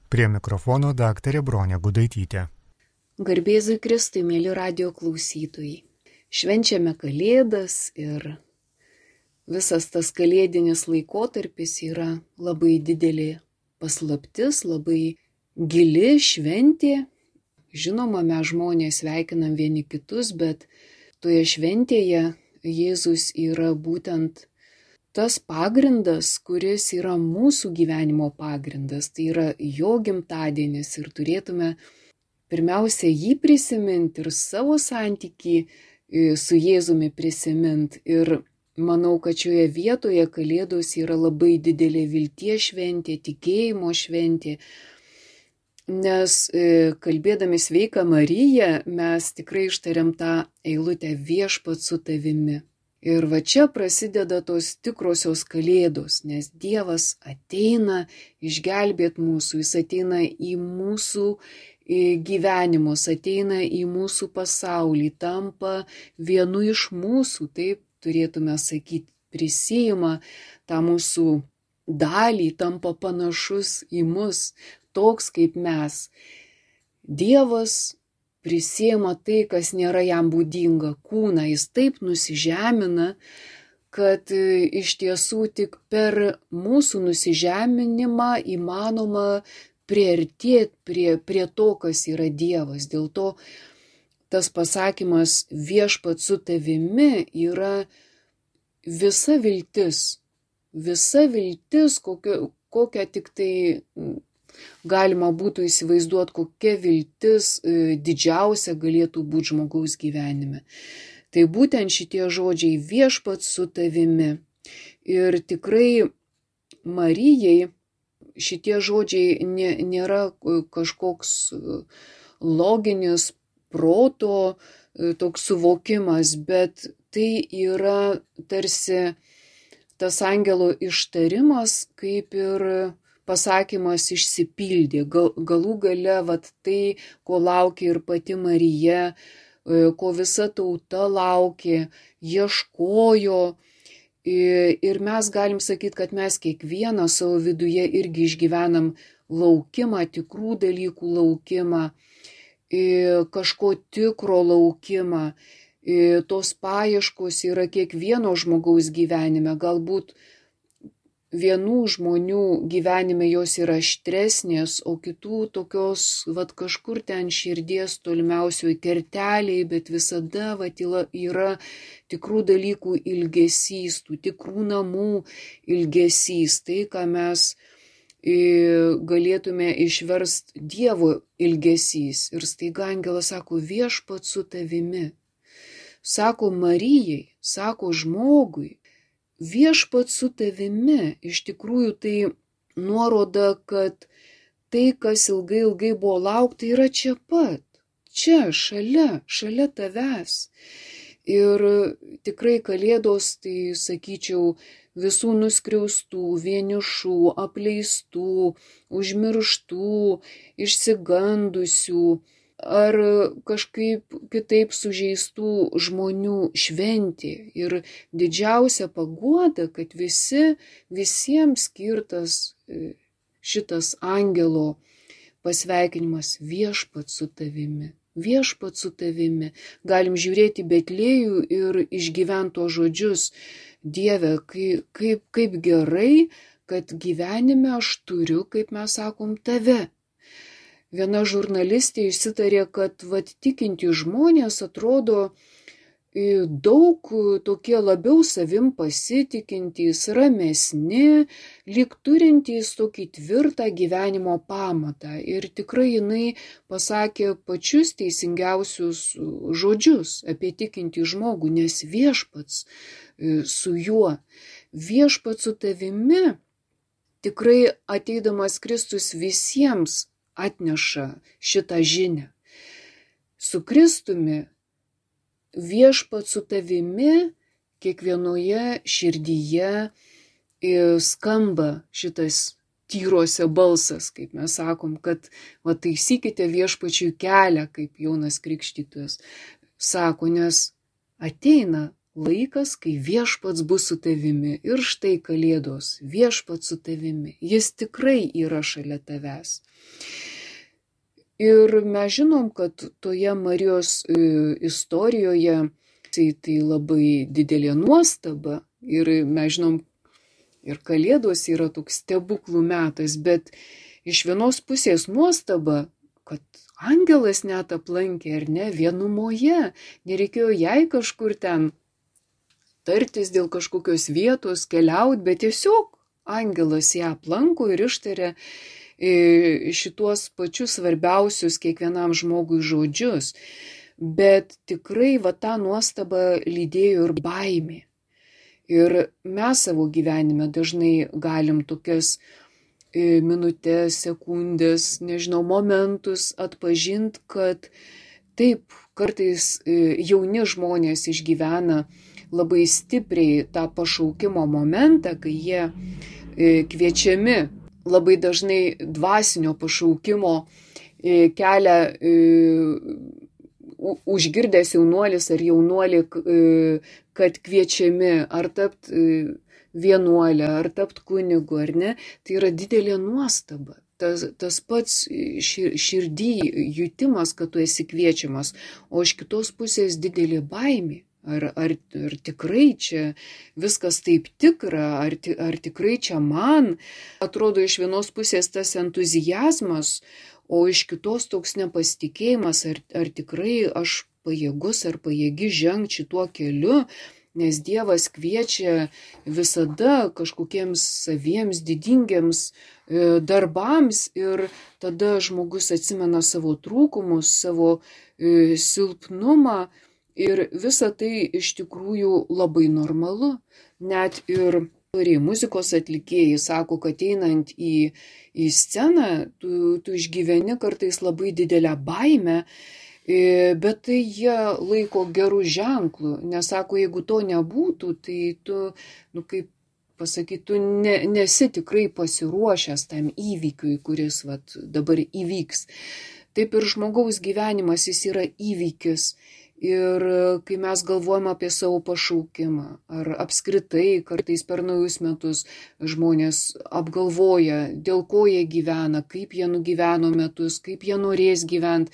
Prie mikrofono daktarė Bronė Gudaitytė. Garbėzui Kristui, mėly radijo klausytojai. Švenčiame Kalėdas ir visas tas kalėdinis laikotarpis yra labai didelė paslaptis, labai gili šventė. Žinoma, mes žmonės sveikinam vieni kitus, bet toje šventėje Jėzus yra būtent tas pagrindas, kuris yra mūsų gyvenimo pagrindas. Tai yra jo gimtadienis ir turėtume pirmiausia jį prisiminti ir savo santykį su Jėzumi prisiminti. Ir manau, kad šioje vietoje Kalėdos yra labai didelė vilties šventė, tikėjimo šventė. Nes kalbėdami Sveiką Mariją mes tikrai ištariam tą eilutę Viešpats su tavimi. Ir va čia prasideda tos tikrosios Kalėdos, nes Dievas ateina išgelbėti mūsų, jis ateina į mūsų gyvenimus, ateina į mūsų pasaulį, tampa vienu iš mūsų, taip turėtume sakyti, prisijima tą mūsų dalį, tampa panašus į mus, toks kaip mes. Dievas prisėma tai, kas nėra jam būdinga, kūną, jis taip nusižemina, kad iš tiesų tik per mūsų nusižeminimą įmanoma priartėti prie to, kas yra Dievas. Dėl to tas pasakymas Viešpats su tavimi yra visa viltis, kokią tik tai galima būtų įsivaizduoti, kokia viltis didžiausia galėtų būti žmogaus gyvenime. Tai būtent šitie žodžiai Viešpats su tavimi. Ir tikrai Marijai šitie žodžiai nėra kažkoks loginis proto toks suvokimas, bet tai yra tarsi tas angelo ištarimas, kaip ir pasakymas išsipildė. Galų gale tai, ko laukė ir pati Marija, ko visa tauta laukė, ieškojo. Ir mes galim sakyti, kad mes kiekvieną savo viduje irgi išgyvenam laukimą, tikrų dalykų laukimą, kažko tikro laukimą. Tos paieškos yra kiekvieno žmogaus gyvenime. Galbūt vienų žmonių gyvenime jos yra aštresnės, o kitų tokios kažkur ten širdies tolimiausioj kertelėj, bet visada yra tikrų dalykų ilgesys, tų tikrų namų ilgesys, tai, ką mes galėtume išversti Dievo ilgesys. Ir staiga angelas sako, Viešpats su tavimi. Sako Marijai, sako žmogui, Viešpats su tavimi. Iš tikrųjų tai nuoroda, kad tai, kas ilgai buvo laukta, yra čia pat, čia, šalia tavęs. Ir tikrai Kalėdos, tai sakyčiau, visų nuskriaustų, vienišų, apleistų, užmirštų, išsigandusių ar kažkaip kitaip sužeistų žmonių šventė. Ir didžiausia paguoda, kad visiems skirtas šitas angelo pasveikinimas Viešpats su tavimi. Viešpats su tavimi. Galim žiūrėti Betlėjų ir išgyventi tos žodžius. Dieve, kaip gerai, kad gyvenime aš turiu, kaip mes sakom, tave. Viena žurnalistė išsitarė, kad tikinti žmonės atrodo daug tokie labiau savim pasitikintys, ramesni, lyg turintys tokį tvirtą gyvenimo pamatą. Ir tikrai jinai pasakė pačius teisingiausius žodžius apie tikintį žmogų, nes Viešpats su juo, Viešpats su tavimi, tikrai ateidamas Kristus visiems atneša šitą žinią. Su Kristumi Viešpats su tavimi kiekvienoje širdyje skamba šitas tyruose balsas, kaip mes sakom, kad taisykite Viešpačiui kelią, kaip Jonas Krikštytojas sako, nes ateina laikas, kai viešpats bus su tavimi. Ir štai Kalėdos, viešpats su tavimi. Jis tikrai yra šalia tavęs. Ir mes žinom, kad toje Marijos istorijoje tai labai didelė nuostaba. Ir mes žinom, ir Kalėdos yra toks stebuklų metas, bet iš vienos pusės nuostaba, kad angelas net aplankė, ar ne, vienumoje. Nereikėjo jai kažkur ten tartis dėl kažkokios vietos, keliauti, bet tiesiog angelas ją aplanko ir ištarė šituos pačius svarbiausius kiekvienam žmogui žodžius. Bet tikrai tą nuostabą lydėjo ir baimė. Ir mes savo gyvenime dažnai galim tokias minutės, sekundės, nežinau, momentus atpažinti, kad taip, kartais jauni žmonės išgyvena labai stipriai tą pašaukimo momentą, kai jie kviečiami labai dažnai dvasinio pašaukimo kelią užgirdęs jaunuolis ar jaunuolį, kad kviečiami ar tapti vienuolę, ar tapti kunigu, ar ne, tai yra didelė nuostaba. Tas pats širdį jutimas, kad tu esi kviečiamas, o iš kitos pusės didelė baimė. Ar tikrai čia viskas taip tikra, ar tikrai čia man? Atrodo iš vienos pusės tas entuzijazmas, o iš kitos toks nepasitikėjimas, ar tikrai aš pajėgus ar pajėgi žengti šituo keliu, nes Dievas kviečia visada kažkokiems saviems didingiams darbams ir tada žmogus atsimena savo trūkumus, savo silpnumą. Ir visa tai iš tikrųjų labai normalu. Net ir muzikos atlikėjai sako, kad einant į sceną, tu išgyveni kartais labai didelę baimę, bet tai jie laiko gerų ženklų. Nes sako, jeigu to nebūtų, tai tu, kaip pasakyti, tu nesi tikrai pasiruošęs tam įvykiui, kuris dabar įvyks. Taip ir žmogaus gyvenimas, jis yra įvykis. Ir kai mes galvojam apie savo pašaukimą, ar apskritai kartais per naujus metus žmonės apgalvoja, dėl ko jie gyvena, kaip jie nugyveno metus, kaip jie norės gyventi.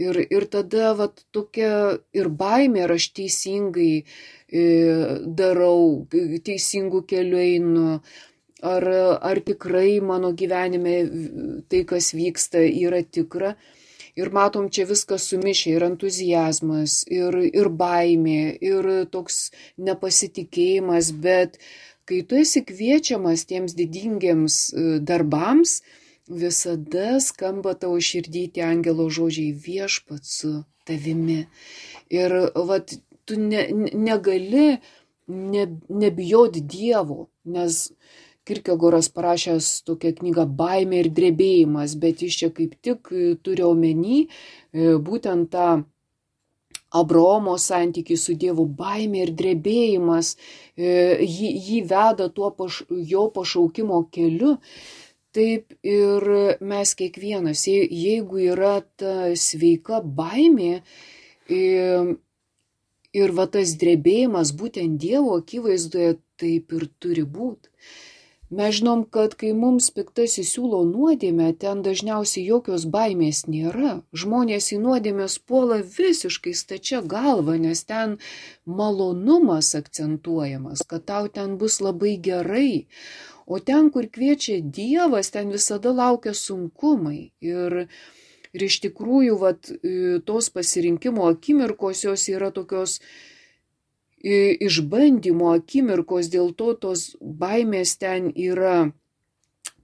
Ir tada tokia ir baimė, ar aš teisingai darau, teisingų kelių einu, ar tikrai mano gyvenime tai, kas vyksta, yra tikra. Ir matom, čia viskas sumišę, ir entuzijazmas, ir baimė, ir toks nepasitikėjimas, bet kai tu esi kviečiamas tiems didingiems darbams, visada skamba tavo širdį tie angelo žodžiai viešpats su tavimi. Ir tu negali nebijoti Dievo, nes Kierkegoras parašęs tokią knygą Baimė ir drebėjimas, bet jis čia kaip tik turi omeny būtent tą Abraomo santykį su Dievu. Baimė ir drebėjimas jį veda tuo jo pašaukimo keliu. Taip ir mes kiekvienas, jeigu yra ta sveika baimė ir tas drebėjimas būtent Dievo akivaizdoje, taip ir turi būti. Mes žinom, kad kai mums piktasis siūlo nuodėmę, ten dažniausiai jokios baimės nėra. Žmonės į nuodėmės puola visiškai stačia galva, nes ten malonumas akcentuojamas, kad tau ten bus labai gerai. O ten, kur kviečia Dievas, ten visada laukia sunkumai. Ir iš tikrųjų, tos pasirinkimo akimirkos jos yra tokios išbandymo akimirkos, dėl to tos baimės ten yra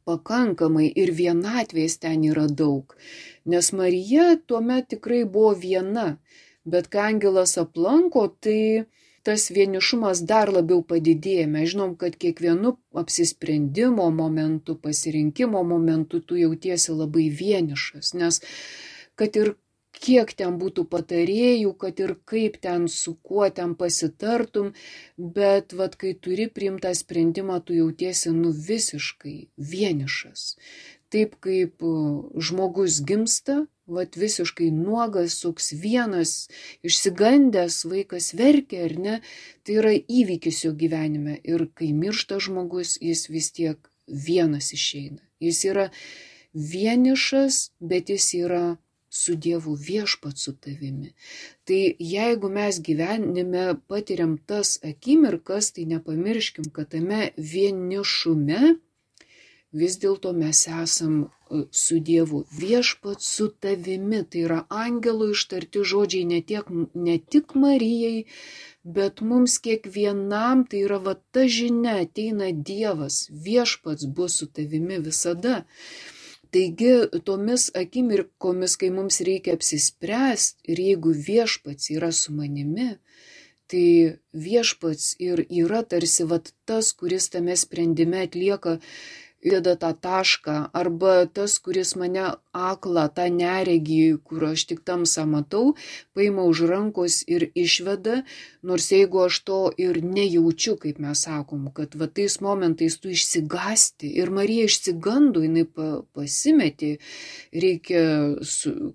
pakankamai ir vienatvės ten yra daug. Nes Marija tuomet tikrai buvo viena, bet kai angelas aplanko, tai tas vienišumas dar labiau padidėja. Mes žinom, kad kiekvienu apsisprendimo momentu, pasirinkimo momentu tu jautiesi labai vienišas, nes kad ir kiek ten būtų patarėjų, kad ir kaip ten su kuo ten pasitartum, bet kai turi priimtą sprendimą, tu jautiesi visiškai vienišas. Taip kaip žmogus gimsta, vat visiškai nuogas, toks vienas, išsigandęs vaikas verkia, ar ne, tai yra įvykis jo gyvenime. Ir kai miršta žmogus, jis vis tiek vienas išeina. Jis yra vienišas, bet jis yra su Dievu, viešpats su tavimi. Tai jeigu mes gyvenime patiriam tas akimirkas, tai nepamirškim, kad tame vienišume vis dėlto mes esam su Dievu, viešpats su tavimi. Tai yra angelo ištarti žodžiai ne tik Marijai, bet mums kiekvienam. Tai yra va ta žinia, ateina Dievas, viešpats bus su tavimi visada. Taigi tomis akimirkomis, kai mums reikia apsispręsti, ir jeigu viešpats yra su manimi, tai viešpats ir yra tarsi vat tas, kuris tame sprendime atlieka, įdeda tą tašką, arba tas, kuris mane aklą, tą neregį, kur aš tik tamsą matau, paima už rankos ir išveda, nors jeigu aš to ir nejaučiu, kaip mes sakom, kad va tais momentais tu išsigąsti, ir Marija išsigando, jinai pasimetė, reikia,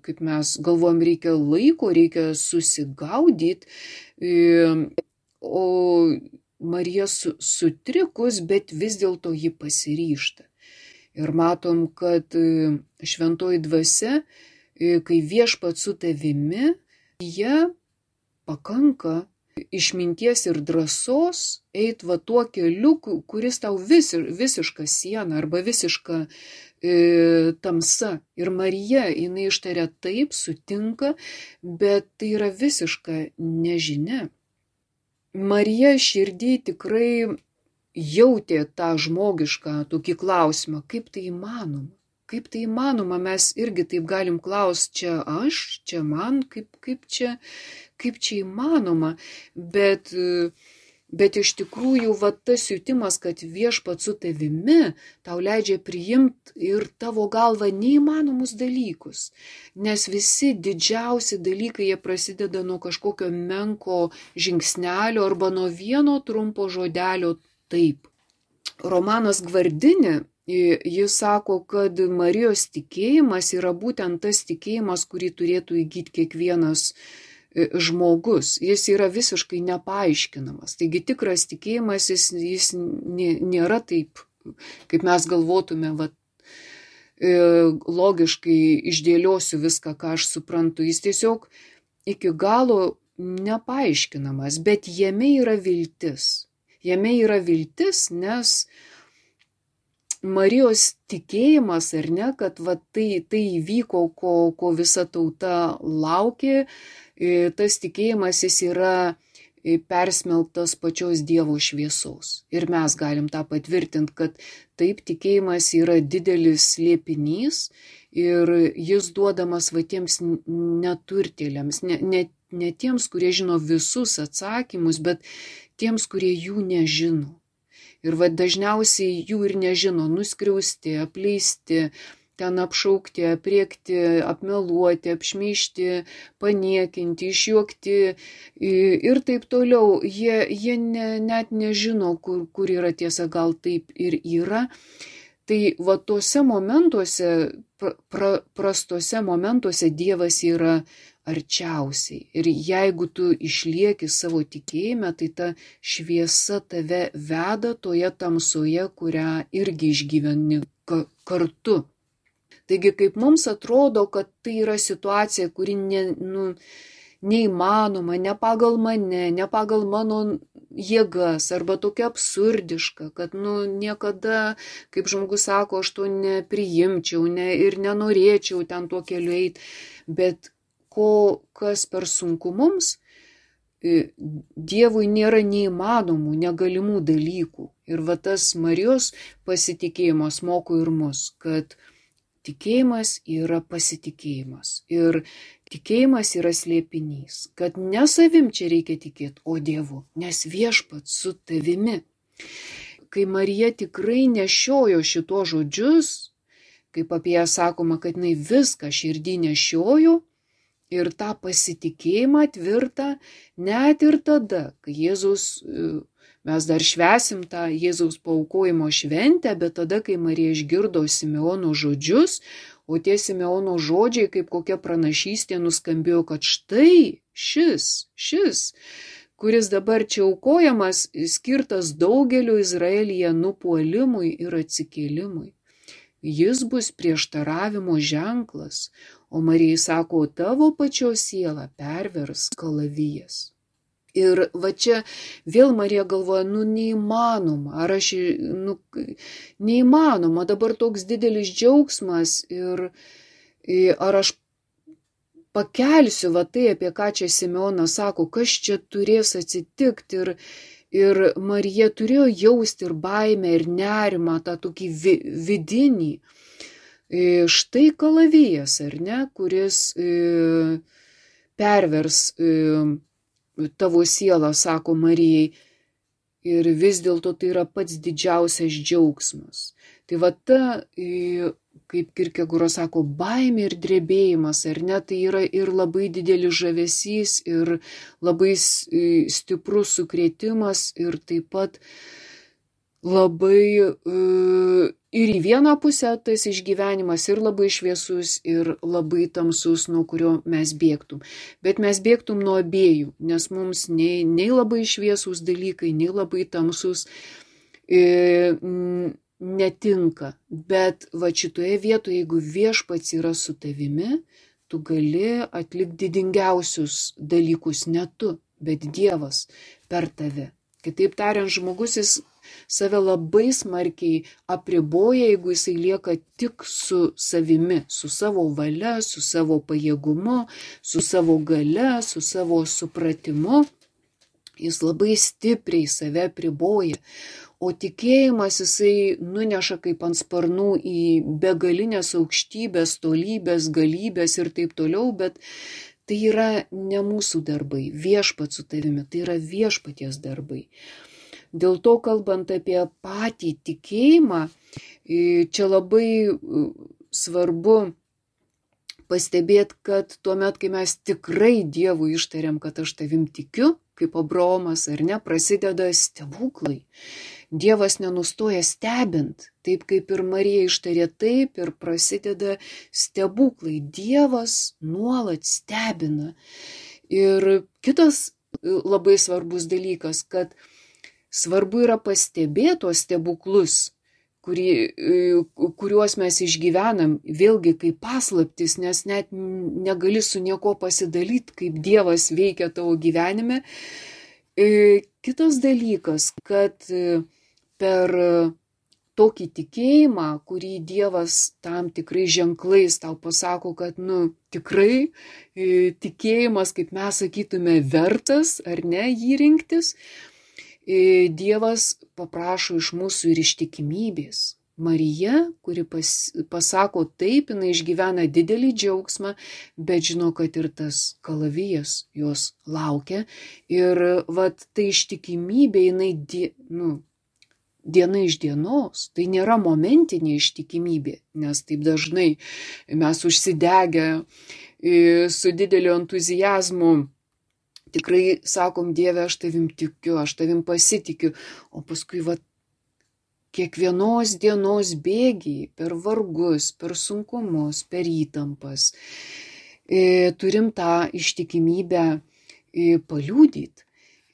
kaip mes galvojam, reikia laiko, reikia susigaudyti, o Marija sutrikus, bet vis dėlto ji pasiryžta. Ir matom, kad šventoji dvasia, kai viešpats su tavimi, jie pakanka išminties ir drąsos eit va tuo keliu, kuris tau visiška siena arba visiška tamsa. Ir Marija, jinai ištaria taip, sutinka, bet tai yra visiška nežinia. Marija širdį tikrai jautė tą žmogišką tokį klausimą, kaip tai įmanoma. Kaip tai įmanoma, mes irgi taip galim klausti, čia aš, čia man, kaip čia įmanoma. Bet iš tikrųjų, va tas jutimas, kad viešpats su tavimi, tau leidžia priimti ir tavo galva neįmanomus dalykus. Nes visi didžiausi dalykai, jie prasideda nuo kažkokio menko žingsnelio arba nuo vieno trumpo žodelio taip. Romanas Gvardinė, jis sako, kad Marijos tikėjimas yra būtent tas tikėjimas, kurį turėtų įgyti kiekvienas žmogus. Jis yra visiškai nepaaiškinamas. Taigi tikras tikėjimas, jis nėra taip, kaip mes galvotume, logiškai išdėliosiu viską, ką aš suprantu. Jis tiesiog iki galo nepaaiškinamas, bet jame yra viltis. Jame yra viltis, nes Marijos tikėjimas, ar ne, kad tai įvyko, ko visa tauta laukė, tas tikėjimas jis yra persmelktas pačios Dievo šviesos. Ir mes galim tą patvirtinti, kad taip tikėjimas yra didelis slėpinys ir jis duodamas va tiems neturtėliams, ne tiems, kurie žino visus atsakymus, bet tiems, kurie jų nežino. Ir va dažniausiai jų ir nežino, nuskriausti, apleisti, ten apšaukti, apriekti, apmeluoti, apšmeižti, paniekinti, išjuokti ir taip toliau. Jie net nežino, kur yra tiesa, gal taip ir yra. Tai va tuose momentuose, prastuose momentuose Dievas yra arčiausiai. Ir jeigu tu išlieki savo tikėjime, tai ta šviesa tave veda toje tamsoje, kurią irgi išgyveni kartu. Taigi, kaip mums atrodo, kad tai yra situacija, kuri neįmanoma, ne pagal mane, ne pagal mano jėgas, arba tokia absurdiška, kad niekada, kaip žmogus sako, aš to nepriimčiau ir nenorėčiau ten tuo keliu eiti, bet kas per sunku mums, Dievui nėra neįmanomų, negalimų dalykų. Ir va tas Marijos pasitikėjimas moko ir mus, kad tikėjimas yra pasitikėjimas. Ir tikėjimas yra slėpinys, kad ne savim čia reikia tikėti, o Dievu, nes viešpats su tavimi. Kai Marija tikrai nešiojo šito žodžius, kaip apie ją sakoma, kad jinai viską širdį nešiojo, ir tą pasitikėjimą tvirtą net ir tada, kai mes dar švęsim tą Jėzaus paaukojimo šventę, bet tada, kai Marija išgirdo Simeono žodžius, o tie Simeono žodžiai kaip kokia pranašystė nuskambėjo, kad štai šis, kuris dabar čia aukojamas, skirtas daugeliu Izraelyje nupuolimui ir atsikėlimui. Jis bus prieštaravimo ženklas, o Marijai sako, tavo pačios sielą pervers kalavijas. Ir va čia vėl Marija galvoja, neįmanoma, neįmanoma, dabar toks didelis džiaugsmas ir ar aš pakelsiu va tai, apie ką čia Simeonas sako, kas čia turės atsitikti ir Marija turėjo jausti ir baimę, ir nerimą, tą tokį vidinį. Štai kalavijas, ar ne, kuris pervers tavo sielą, sako Marijai, ir vis dėlto tai yra pats didžiausias džiaugsmas. Tai va ta, kaip Kierkegaras sako, baimė ir drebėjimas, ar ne, tai yra ir labai didelis žavesys, ir labai stiprus sukrėtimas, ir taip pat labai ir į vieną pusę tas išgyvenimas ir labai šviesus, ir labai tamsus, nuo kurio mes bėgtum. Bet mes bėgtum nuo abiejų, nes mums nei labai šviesus dalykai, nei labai tamsus netinka. Bet va šitoje vietoje, jeigu Viešpats yra su tavimi, tu gali atlikti didingiausius dalykus, ne tu, bet Dievas per tave. Kitaip tariant, žmogus jis save labai smarkiai apriboja, jeigu jisai lieka tik su savimi, su savo valia, su savo pajėgumu, su savo galia, su savo supratimu. Jis labai stipriai save apriboja. O tikėjimas jisai nuneša kaip ant sparnų į begalinės aukštybės, tolybės, galybės ir taip toliau, bet tai yra ne mūsų darbai, Viešpats su tavimi, tai yra Viešpaties darbai. Dėl to, kalbant apie patį tikėjimą, čia labai svarbu pastebėti, kad tuomet, kai mes tikrai Dievui ištariam, kad aš tavim tikiu, kaip Abraomas, ar ne, prasideda stebuklai. Dievas nenustoja stebint, taip kaip ir Marija ištarė, taip ir prasideda stebuklai. Dievas nuolat stebina. Ir kitas labai svarbus dalykas, kad svarbu yra pastebėti tos stebuklus, kuriuos mes išgyvenam, vėlgi kaip paslaptis, nes net negali su nieko pasidalyti, kaip Dievas veikia tavo gyvenime. Kitas dalykas, kad per tokį tikėjimą, kurį Dievas tam tikrai ženklais tau pasako, kad tikrai tikėjimas, kaip mes sakytume, vertas ar ne jį rinktis, Dievas paprašo iš mūsų ir ištikimybės. Marija, kuri pasako taip, jinai išgyvena didelį džiaugsmą, bet žino, kad ir tas kalavijas jos laukia. Ir tai ištikimybė, jinai diena iš dienos, tai nėra momentinė ištikimybė, nes taip dažnai mes užsidegę su dideliu entuziazmu tikrai sakom, Dieve, aš tavim tikiu, aš tavim pasitikiu, o paskui kiekvienos dienos bėgiai, per vargus, per sunkumus, per įtampas, turim tą ištikimybę paliudyti.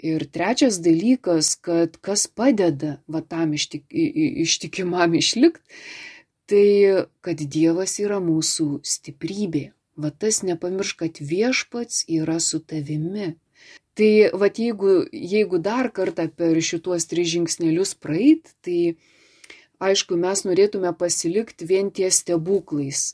Ir trečias dalykas, kad kas padeda tam ištikimam išlikti, tai kad Dievas yra mūsų stiprybė. Tas nepamiršk, kad Viešpats yra su tavimi. Tai jeigu dar kartą per šituos 3 žingsnelius praeit, tai aišku, mes norėtume pasilikti vien ties stebuklais,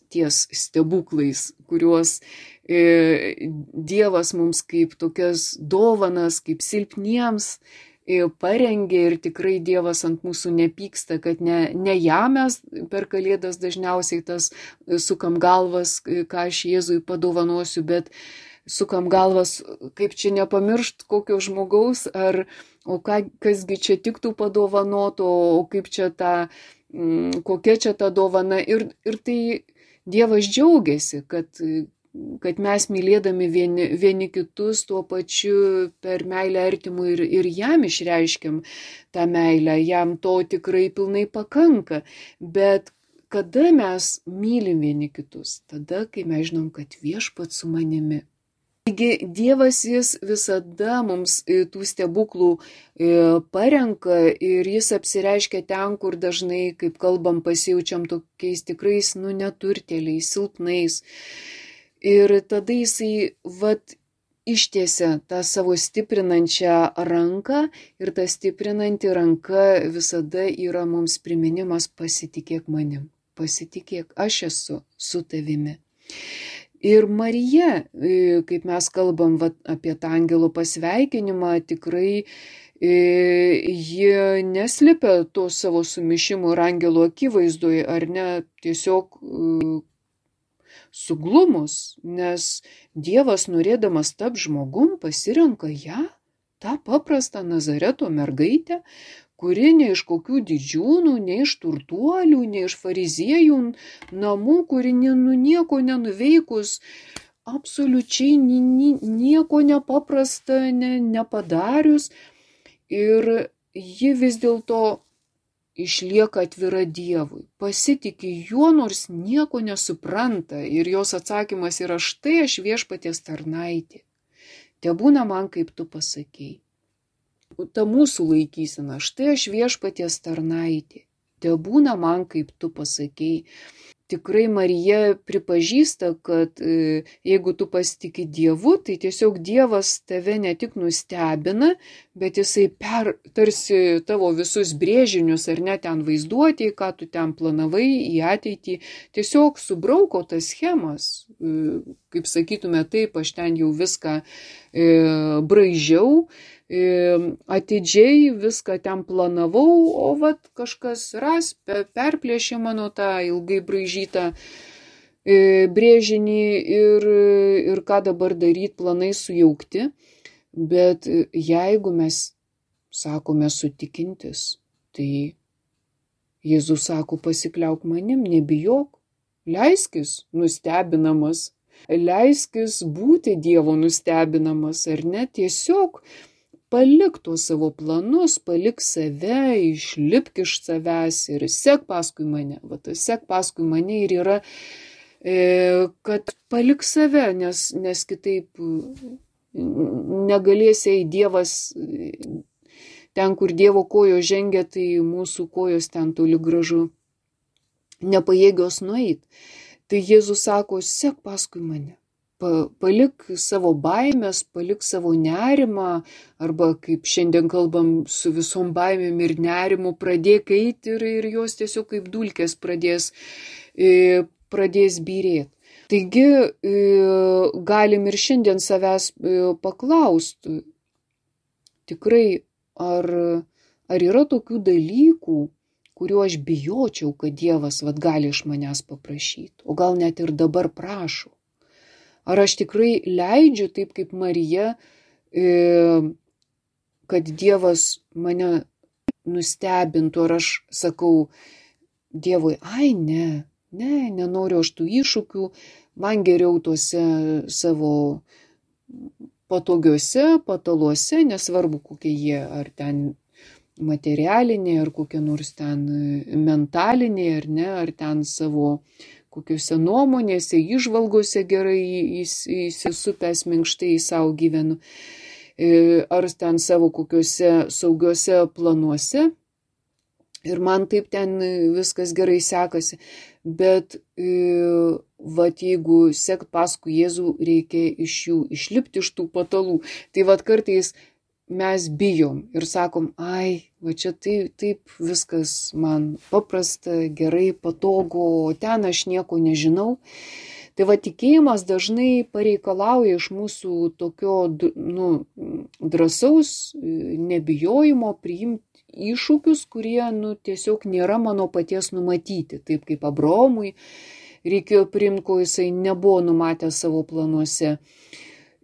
kuriuos Dievas mums kaip tokias dovanas, kaip silpniems parengė, ir tikrai Dievas ant mūsų nepyksta, kad ne jam mes per Kalėdas dažniausiai tas sukam galvas, ką aš Jėzui padovanosiu, bet sukam galvas, kaip čia nepamiršt kokio žmogaus, kasgi čia tiktų padovanoto, o kaip čia kokia čia ta dovana. Ir tai Dievas džiaugiasi, kad mes mylėdami vieni kitus tuo pačiu per meilę artimui ir jam išreiškiam tą meilę, jam to tikrai pilnai pakanka. Bet kada mes mylim vieni kitus? Tada, kai mes žinom, kad Viešpats su manimi. Taigi Dievas jis visada mums tų stebuklų parenka ir jis apsireiškia ten, kur dažnai, kaip kalbam, pasijaučiam tokiais tikrais, neturtėliais, silpnais. Ir tada jisai ištiesia tą savo stiprinančią ranką ir ta stiprinanti ranka visada yra mums priminimas: pasitikėk manim, pasitikėk, aš esu su tavimi. Ir Marija, kaip mes kalbam apie tą angelo pasveikinimą, tikrai ji neslėpia to savo sumišimo ir angelo akivaizdoje, ar ne, tiesiog suglumus, nes Dievas, norėdamas tapti žmogum, pasirenka ją, tą paprastą Nazareto mergaitę, kuri ne iš kokių didžiūnų, ne iš turtuolių, ne iš fariziejų namų, kuri nieko nenuveikus, absoliučiai nieko nepaprasta nepadarius. Ir ji vis dėlto išlieka atvira Dievui, pasitiki juo, nors nieko nesupranta. Ir jos atsakymas yra: štai aš Viešpaties tarnaitė, tebūna man, kaip tu pasakei. Ta mūsų laikysena: štai aš Viešpaties tarnaitė, tebūna man, kaip tu pasakei. Tikrai Marija pripažįsta, kad jeigu tu pasitiki Dievu, tai tiesiog Dievas tave ne tik nustebina, bet jisai tarsi tavo visus brėžinius ar net ten vaizduotėjai, ką tu ten planavai į ateitį, tiesiog subrauko tas schemas. Kaip sakytume, taip, aš ten jau viską braižiau, atidžiai viską ten planavau, o kažkas perplėšė mano tą ilgai braižytą brėžinį ir ką dabar daryti, planai sujaukti. Bet jeigu mes sakome sutikintis, tai Jėzus sako: pasikliauk manim, nebijok, leiskis nustebinamas, leiskis būti Dievo nustebinamas, ar ne, tiesiog palik tuos savo planus, palik save, išlipk iš savęs ir sek paskui mane. Tas sek paskui mane ir yra, kad palik save, nes kitaip negalėsi Dievas, ten, kur Dievo kojos žengia, tai mūsų kojos ten toli gražu nepajėgios nueit. Tai Jėzus sako: sek paskui mane. Palik savo baimės, palik savo nerimą, arba kaip šiandien kalbam, su visom baimėm ir nerimu pradėk eiti ir jos tiesiog kaip dulkės pradės byrėti. Taigi galim ir šiandien savęs paklausti, tikrai, ar yra tokių dalykų, kuriuo aš bijočiau, kad Dievas gali iš manęs paprašyti, o gal net ir dabar prašo. Ar aš tikrai leidžiu, taip kaip Marija, kad Dievas mane nustebintų, ar aš sakau Dievui: ai nenoriu aš tų iššūkių, man geriau tuose savo patogiuose pataluose, nesvarbu kokie jie, ar ten materialiniai, ar kokie nors ten mentaliniai, ar ne, ar ten savo kokiuose nuomonėse, įžvalgose gerai įsisupęs minkštai į savo gyvenu, ar ten savo kokiuose saugiuose planuose. Ir man taip ten viskas gerai sekasi. Bet jeigu sekt paskui Jėzų, reikia iš jų išlipti iš tų patalų. Tai kartais mes bijom ir sakom: ai, čia taip viskas man paprasta, gerai, patogu, o ten aš nieko nežinau. Tai tikėjimas dažnai pareikalauja iš mūsų tokio drąsaus nebijojimo priimti iššūkius, kurie tiesiog nėra mano paties numatyti. Taip kaip Abraomui reikėjo priimti, ko jisai nebuvo numatęs savo planuose.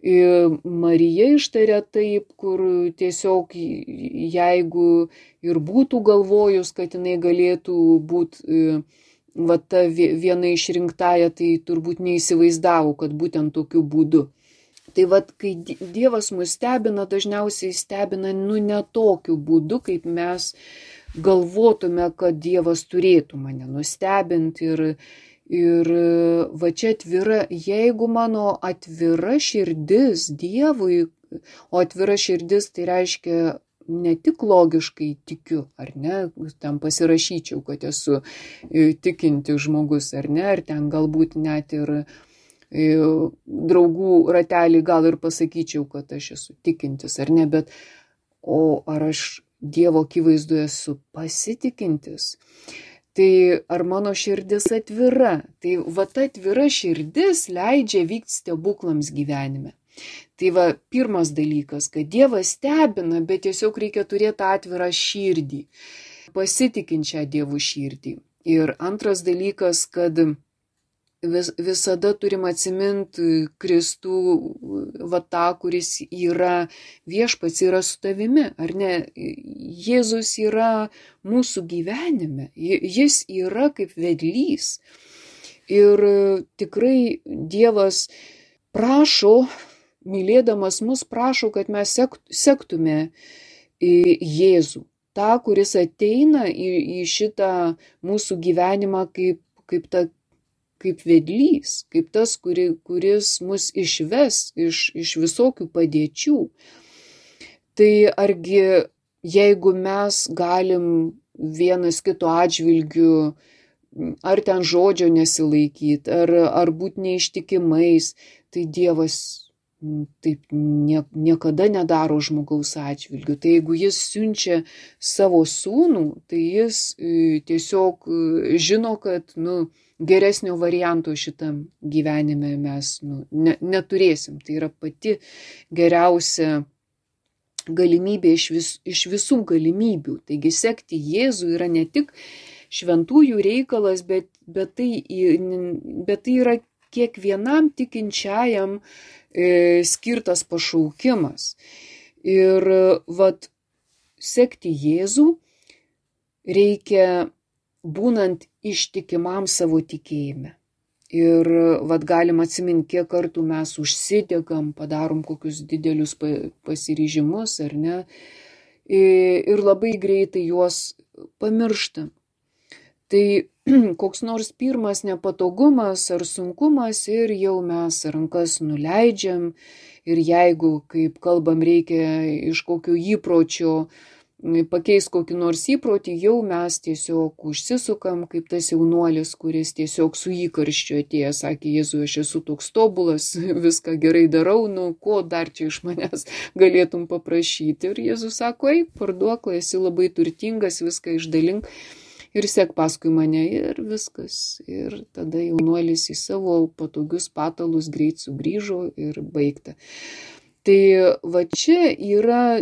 Marija ištarė taip, kur tiesiog jeigu ir būtų galvojus, kad jinai galėtų būti ta viena išrinktąja, tai turbūt neįsivaizdavo, kad būtent tokiu būdu. Tai kai Dievas mus stebina, dažniausiai stebina ne tokiu būdu, kaip mes galvotume, kad Dievas turėtų mane nustebinti ir va čia atvira, jeigu mano atvira širdis Dievui, o atvira širdis tai reiškia ne tik logiškai tikiu, ar ne, ten pasirašyčiau, kad esu tikinti žmogus, ar ne, ar ten galbūt net ir draugų ratelį gal ir pasakyčiau, kad aš esu tikintis, ar ne, bet o ar aš Dievo akivaizdoje esu pasitikintis, tai ar mano širdis atvira, tai va ta atvira širdis leidžia vykti stebuklams gyvenime. Tai va pirmas dalykas, kad Dievas stebina, bet tiesiog reikia turėti atvirą širdį, pasitikinčią Dievų širdį. Ir antras dalykas, kad visada turim atsiminti Kristų, va tą, kuris yra viešpats, yra su tavimi, ar ne? Jėzus yra mūsų gyvenime, jis yra kaip vedlys. Ir tikrai Dievas prašo, mylėdamas mus, prašo, kad mes sektume Jėzų, tą, kuris ateina į šitą mūsų gyvenimą kaip vedlys, kaip tas, kuris mus išves iš visokių padėčių. Tai argi jeigu mes galim vienas kito atžvilgiu ar ten žodžio nesilaikyti, ar būti neištikimais, tai Dievas taip niekada nedaro žmogaus atžvilgiu. Tai jeigu jis siunčia savo sūnų, tai jis tiesiog žino, kad geresnio varianto šitam gyvenime mes neturėsim. Tai yra pati geriausia galimybė iš visų galimybių. Taigi sekti Jėzų yra ne tik šventųjų reikalas, bet tai yra kiekvienam tikinčiajam skirtas pašaukimas. Ir vat sekti Jėzų reikia būnant ištikimam savo tikėjime. Ir vat galim atsiminti, kiek kartų mes užsidegam, padarom kokius didelius pasiryžimus, ar ne, ir labai greitai juos pamirštam. Tai koks nors pirmas nepatogumas ar sunkumas ir jau mes rankas nuleidžiam ir jeigu, kaip kalbam, reikia iš kokio įpročio pakeis kokį nors įprotį, jau mes tiesiog užsisukam, kaip tas jaunuolis, kuris tiesiog su įkarščiu atėjo, sakė, Jėzui, aš esu toks tobulas, viską gerai darau, ko dar čia iš manęs galėtum paprašyti. Ir Jėzus sako, eik, parduok, esi labai turtingas, viską išdalink ir sek paskui mane ir viskas. Ir tada jaunuolis į savo patogius patalus greit sugrįžo ir baigta. Tai va čia yra,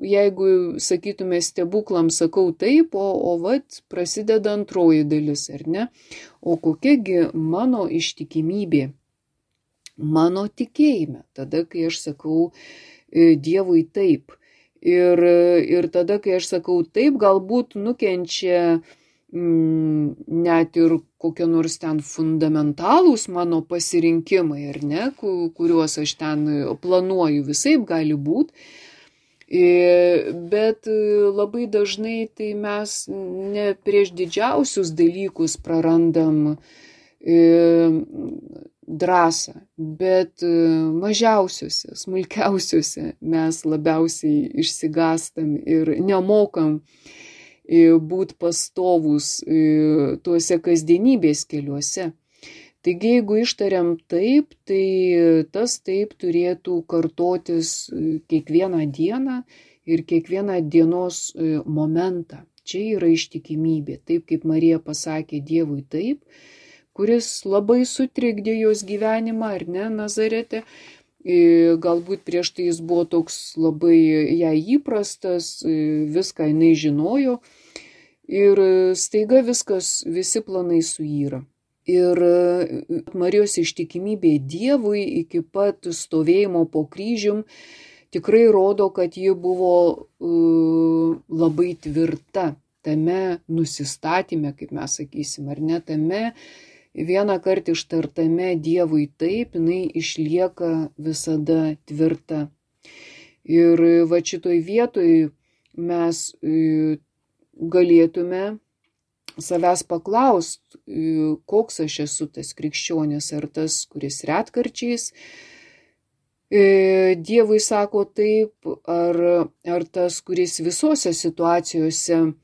jeigu sakytume stebuklams, sakau taip, o vat prasideda antroji dalis, ar ne? O kokiagi mano ištikimybė, mano tikėjime, tada, kai aš sakau Dievui taip. Ir tada, kai aš sakau taip, galbūt nukenčia net ir kokie nors ten fundamentalūs mano pasirinkimai, ar ne, kuriuos aš ten planuoju, visaip gali būti. Bet labai dažnai tai mes ne prieš didžiausius dalykus prarandam drąsą, bet mažiausiuose, smulkiausiuose mes labiausiai išsigastam ir nemokam būti pastovus tuose kasdienybės keliuose. Taigi, jeigu ištariam taip, tai tas taip turėtų kartotis kiekvieną dieną ir kiekvieną dienos momentą. Čia yra ištikimybė, taip kaip Marija pasakė Dievui taip, kuris labai sutrikdė jos gyvenimą, ar ne, Nazarete. Galbūt prieš tai jis buvo toks labai jai įprastas, viską jinai žinojo ir staiga visi planai suyra. Ir Marijos ištikimybė Dievui iki pat stovėjimo po kryžium tikrai rodo, kad ji buvo labai tvirta tame nusistatyme, kaip mes sakysim, ar ne, tame vieną kartą ištartame Dievui taip, jinai išlieka visada tvirta. Ir va šitoj vietoj mes galėtume savęs paklausti, koks aš esu tas krikščionis, ar tas, kuris retkarčiais Dievui sako taip, ar tas, kuris visose situacijose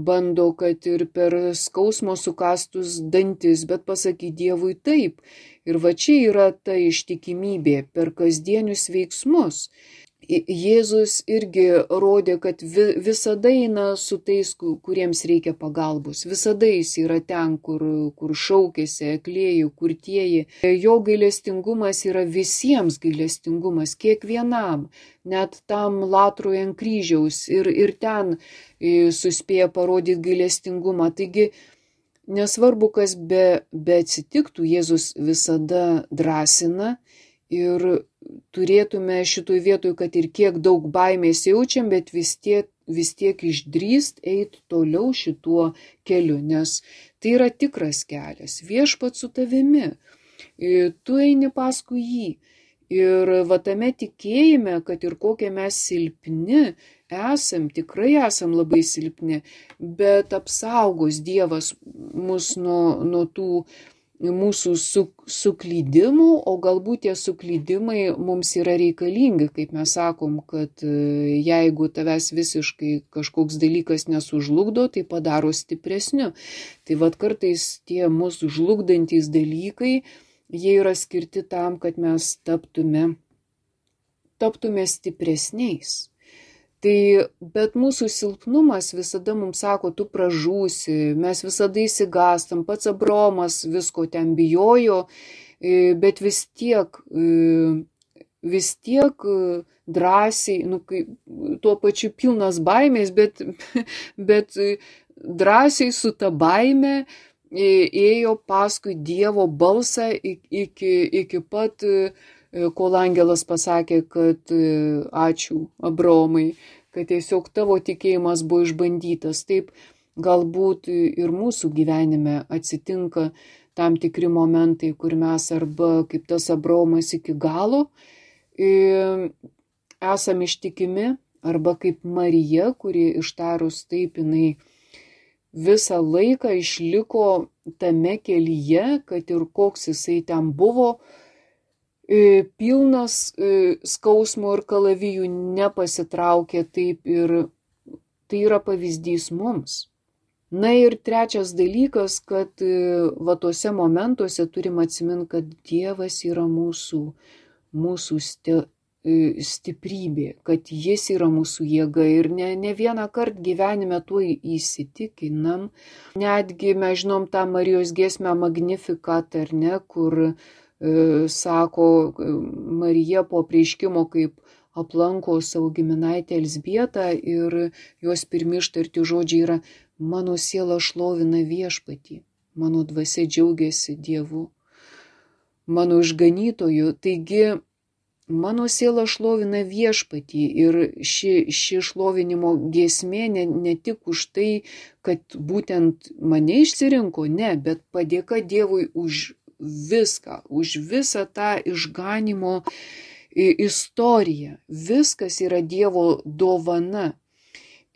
bando, kad ir per skausmo sukastus dantis, bet pasakyti Dievui taip. Ir va čia yra ta ištikimybė per kasdienius veiksmus. Jėzus irgi rodė, kad visada eina su tais, kuriems reikia pagalbos. Visada jis yra ten, kur šaukėsi, aklėjų, kurtieji. Jo gailestingumas yra visiems gailestingumas, kiekvienam, net tam latrui ant kryžiaus. Ir ten suspėja parodyti gailestingumą. Taigi, nesvarbu, kas be atsitiktų, Jėzus visada drąsina. Ir turėtume šitoj vietoj, kad ir kiek daug baimės jaučiam, bet vis tiek išdrįst eiti toliau šituo keliu, nes tai yra tikras kelias. Viešpats su tavimi, tu eini paskui jį. Ir va tame tikėjime, kad ir kokie mes silpni esam, tikrai esam labai silpni, bet apsaugos Dievas mus nuo tų mūsų suklydimų, o galbūt tie suklydimai mums yra reikalingi, kaip mes sakom, kad jeigu tavęs visiškai kažkoks dalykas nesužlugdo, tai padaro stipresniu. Tai vad kartais tie mūsų žlugdantys dalykai, jie yra skirti tam, kad mes taptume stipresniais. Tai, bet mūsų silpnumas visada mums sako, tu pražūsi, mes visada įsigastam, pats Abraomas visko ten bijojo, bet vis tiek drąsiai, tuo pačiu pilnas baimės, bet drąsiai su ta baime ėjo paskui Dievo balsą iki pat, kol angelas pasakė, kad ačiū Abraomai, kad tiesiog tavo tikėjimas buvo išbandytas. Taip galbūt ir mūsų gyvenime atsitinka tam tikri momentai, kur mes arba kaip tas Abraomas iki galo esam ištikimi, arba kaip Marija, kuri ištarus taip, jinai visą laiką išliko tame kelyje, kad ir koks jisai ten buvo, pilnas skausmo ir kalavijų, nepasitraukė taip, ir tai yra pavyzdys mums. Na ir trečias dalykas, kad va tuose momentuose turim atsiminti, kad Dievas yra mūsų stiprybė, kad jis yra mūsų jėga, ir ne vieną kartą gyvenime tuo įsitikinam. Netgi mes žinom tą Marijos giesmę Magnificat, ar ne, kur sako Marija po apreiškimo, kaip aplanko savo giminaitę Elzbietą, ir jos pirmi ištarti žodžiai yra: mano siela šlovina Viešpatį, mano dvasia džiaugiasi Dievu, mano išganytoju. Taigi mano siela šlovina Viešpatį, ir ši šlovinimo giesmė ne tik už tai, kad būtent mane išsirinko, ne, bet padėka Dievui už viską, už visą tą išganimo istoriją. Viskas yra Dievo dovana.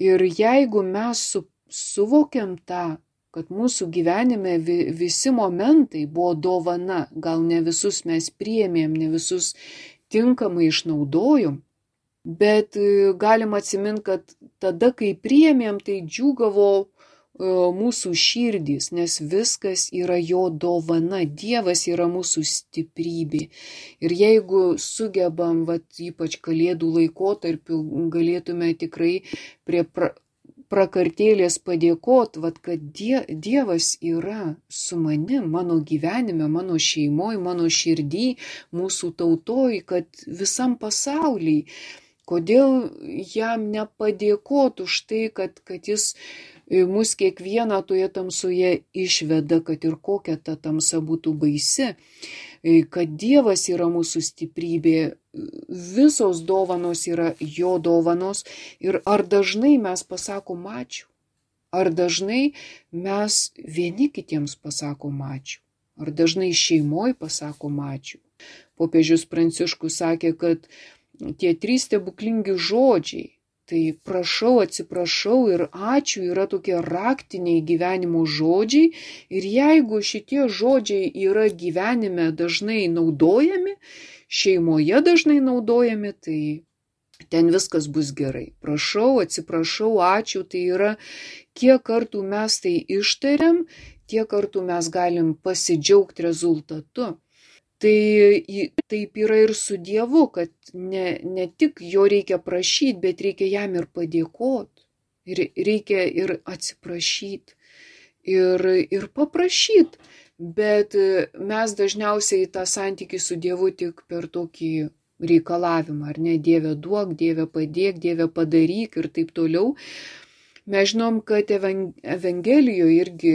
Ir jeigu mes suvokiam tą, kad mūsų gyvenime visi momentai buvo dovana, gal ne visus mes priėmėm, ne visus tinkamai išnaudojom, bet galim atsiminti, kad tada, kai priėmėm, tai džiūgavo mūsų širdys, nes viskas yra jo dovana. Dievas yra mūsų stiprybė. Ir jeigu sugebam, ypač kalėdų laikotarpiu, galėtume tikrai prie prakartėlės padėkot, kad Dievas yra su manim, mano gyvenime, mano šeimoje, mano širdį, mūsų tautoj, kad visam pasauliui. Kodėl jam nepadėkot už tai, kad jis mus kiekvieną toje tamsoje išveda, kad ir kokia ta tamsa būtų baisi, kad Dievas yra mūsų stiprybė, visos dovanos yra jo dovanos. Ir ar dažnai mes pasakom ačiū? Ar dažnai mes vieni kitiems pasakom ačiū? Ar dažnai šeimoje pasakom ačiū? Popiežius Pranciškus sakė, kad tie 3 stebuklingi žodžiai, Tai prašau, atsiprašau ir ačiū yra tokie raktiniai gyvenimo žodžiai ir jeigu šitie žodžiai yra gyvenime dažnai naudojami, šeimoje dažnai naudojami, tai ten viskas bus gerai. Prašau, atsiprašau, ačiū, tai yra kiek kartų mes tai ištariam, tiek kartų mes galim pasidžiaugti rezultatu. Tai taip yra ir su Dievu, kad ne tik jo reikia prašyti, bet reikia jam ir padėkoti. Ir reikia ir atsiprašyti. Ir paprašyti. Bet mes dažniausiai tą santykį su Dievu tik per tokį reikalavimą, ar ne, Dieve duok, Dieve padėk, Dieve padaryk ir taip toliau. Mes žinom, kad Evangelijoje irgi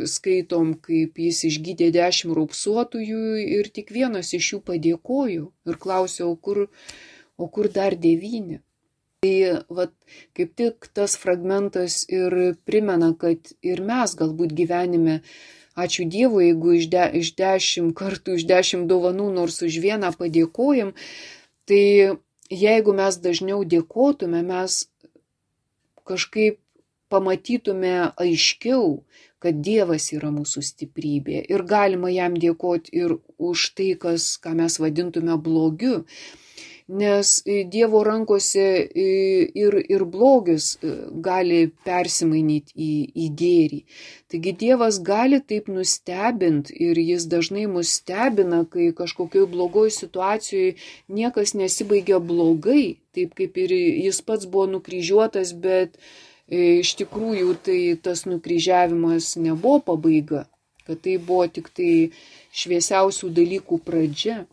skaitom, kaip jis išgydė 10 raupsuotųjų ir tik vienas iš jų padėkojo ir klausė, o kur dar 9? Tai vat, kaip tik tas fragmentas ir primena, kad ir mes galbūt gyvenime, ačiū Dievui, jeigu iš 10 kartų, iš 10 dovanų, nors už vieną padėkojam, tai jeigu mes dažniau dėkotume, mes kažkaip pamatytume aiškiau, kad Dievas yra mūsų stiprybė ir galima jam dėkoti ir už tai, ką mes vadintume blogiu. Nes Dievo rankose ir blogis gali persimainyti į gėrį. Taigi Dievas gali taip nustebinti ir jis dažnai mus stebina, kai kažkokioj blogoj situacijoje niekas nesibaigia blogai, taip kaip ir jis pats buvo nukryžiuotas, bet iš tikrųjų tai tas nukryžiavimas nebuvo pabaiga, kad tai buvo tik tai šviesiausių dalykų pradžia.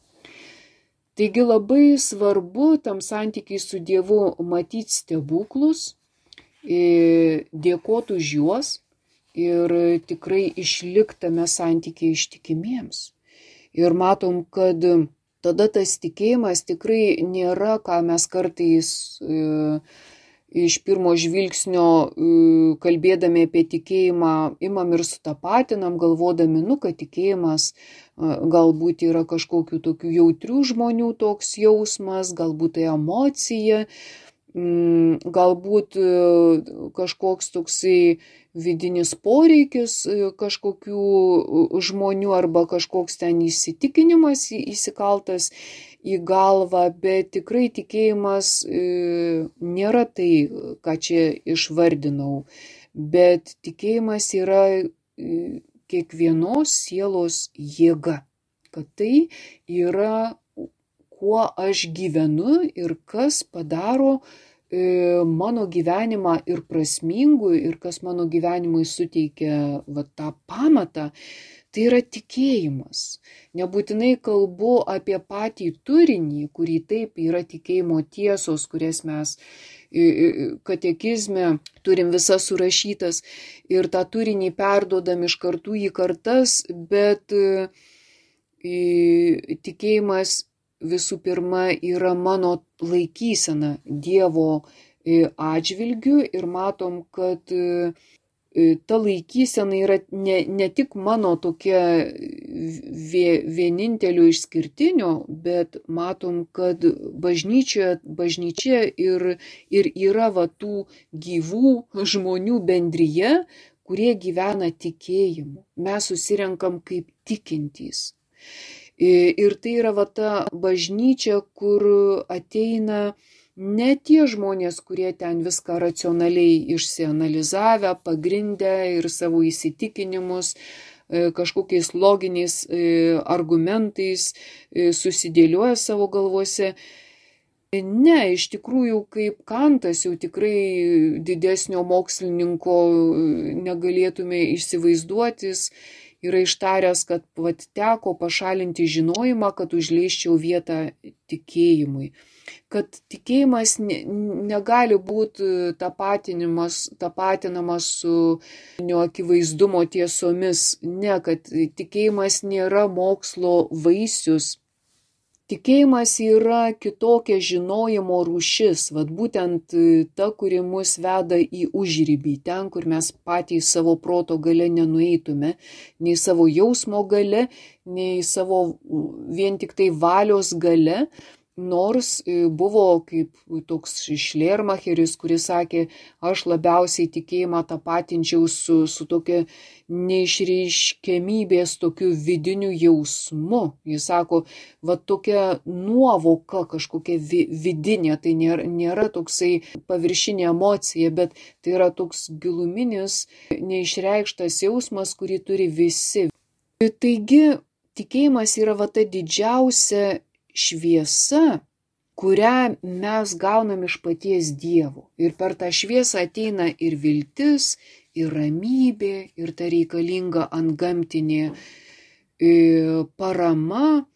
Taigi labai svarbu tam santykiai su Dievu matyti stebuklus, dėkoti už juos ir tikrai išlikti tame santykiai ištikimiems. Ir matom, kad tada tas tikėjimas tikrai nėra, ką mes kartais iš pirmo žvilgsnio kalbėdami apie tikėjimą imam ir sutapatinam, galvodami, kad tikėjimas galbūt yra kažkokių tokių jautrių žmonių toks jausmas, galbūt tai emocija, galbūt kažkoks toksai vidinis poreikis kažkokių žmonių arba kažkoks ten įsitikinimas įsikaltas į galvą, bet tikrai tikėjimas nėra tai, ką čia išvardinau, bet tikėjimas yra kiekvienos sielos jėga, kad tai yra, kuo aš gyvenu ir kas padaro mano gyvenimą ir prasmingu ir kas mano gyvenimui suteikia tą pamatą, tai yra tikėjimas. Nebūtinai kalbu apie patį turinį, kurį taip yra tikėjimo tiesos, kurias mes katekizme turim visas surašytas ir tą turinį perduodam iš kartų į kartas, bet tikėjimas visų pirma yra mano laikysena Dievo atžvilgiu ir matom, kad ta laikysena yra ne tik mano tokia vienintelio išskirtinio, bet matom, kad bažnyčia ir yra tų gyvų žmonių bendryje, kurie gyvena tikėjimu. Mes susirenkam kaip tikintys. Ir tai yra ta bažnyčia, kur ateina ne tie žmonės, kurie ten viską racionaliai išsianalizavę, pagrindę ir savo įsitikinimus kažkokiais loginiais argumentais susidėlioja savo galvose. Ne, iš tikrųjų, kaip Kantas jau tikrai didesnio mokslininko negalėtume įsivaizduotis, yra ištaręs, kad teko pašalinti žinojimą, kad užleisčiau vietą tikėjimui. Kad tikėjimas negali būti tapatinamas su neakivaizdumo tiesomis. Ne, kad tikėjimas nėra mokslo vaisius. Tikėjimas yra kitokia žinojimo rūšis, būtent ta, kuri mus veda į užribį, ten, kur mes patys savo proto gale nenueitume, nei savo jausmo gale, nei savo vien tik tai valios gale, Nors buvo kaip toks Šlermacheris, kuris sakė, aš labiausiai tikėjimą tapatinčiau su tokia neišreiškiamybės tokiu vidiniu jausmu. Jis sako, va tokia nuovoka kažkokia vidinė, tai nėra toksai paviršinė emocija, bet tai yra toks giluminis, neišreikštas jausmas, kurį turi visi. Taigi, tikėjimas yra va ta didžiausia šviesa, kurią mes gaunam iš paties Dievo. Ir per tą šviesą ateina ir viltis, ir ramybė, ir ta reikalinga antgamtinė parama,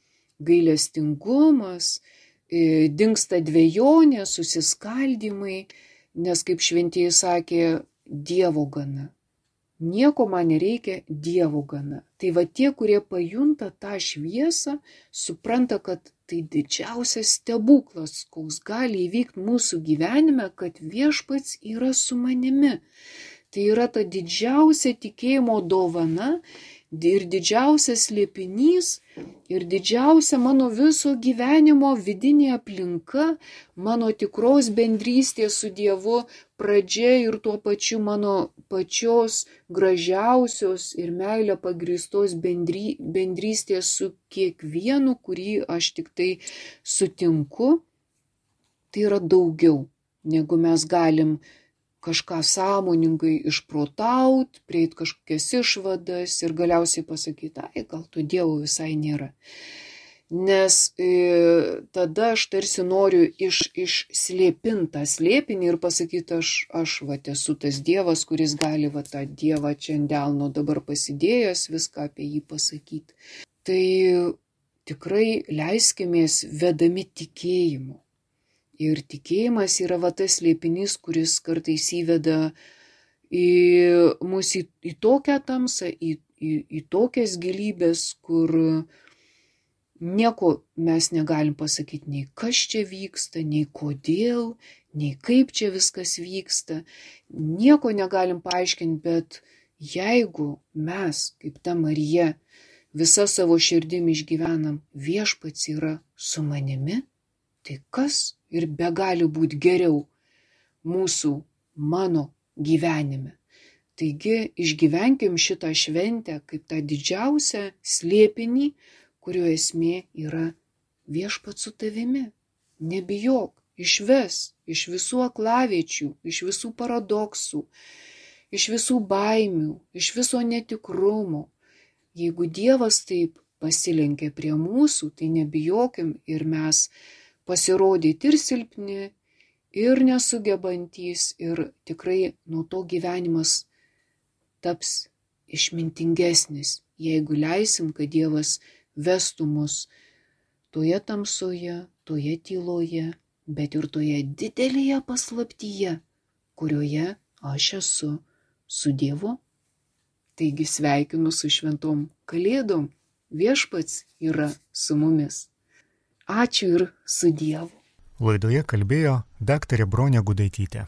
gailestingumas, dingsta dvejonė, susiskaldymai, nes kaip šventieji sakė, Dievo gana. Nieko man nereikia, Dievo gana. Tai va tie, kurie pajunta tą šviesą, supranta, kad tai didžiausias stebuklas, koks gali įvykti mūsų gyvenime, kad viešpats yra su manimi. Tai yra ta didžiausia tikėjimo dovana ir didžiausias slėpinys ir didžiausia mano viso gyvenimo vidinė aplinka, mano tikros bendrystės su Dievu pradžia ir tuo pačiu mano pačios gražiausios ir meilė pagrįstos bendrystės su kiekvienu, kurį aš tik tai sutinku. Tai yra daugiau, negu mes galim kažką sąmoningai išprotaut, prieit kažkokias išvadas ir galiausiai pasakyti, ai, gal to Dievo visai nėra. Nes tada aš tarsi noriu išslėpintą slėpinį ir pasakyti, aš va esu tas Dievas, kuris gali va tą Dievą čia ant delno dabar pasidėjęs viską apie jį pasakyti. Tai tikrai leiskimės vedami tikėjimu. Ir tikėjimas yra va tas slėpinys, kuris kartais įveda mus į tokią tamsą, į tokias gilybės, kur nieko mes negalim pasakyti, nei kas čia vyksta, nei kodėl, nei kaip čia viskas vyksta. Nieko negalim paaiškinti, bet jeigu mes, kaip ta Marija, visą savo širdimi išgyvenam, viešpats yra su manimi, tai kas ir begali būti geriau mano gyvenime. Taigi išgyvenkim šitą šventę kaip tą didžiausią slėpinį, kurio esmė yra viešpats su tavimi. Nebijok, išves iš visų aklaviečių, iš visų paradoksų, iš visų baimių, iš viso netikrumo. Jeigu Dievas taip pasilenkia prie mūsų, tai nebijokim ir mes pasirodyti ir silpni, ir nesugebantys, ir tikrai nuo to gyvenimas taps išmintingesnis, jeigu leisim, kad Dievas vestų mus toje tamsoje, toje tyloje, bet ir toje didelėje paslaptyje, kurioje aš esu su Dievu. Taigi sveikinu su šventom Kalėdom, viešpats yra su mumis. Ačiū ir su Dievu. Laidoje kalbėjo daktarė Bronė Gudaitytė.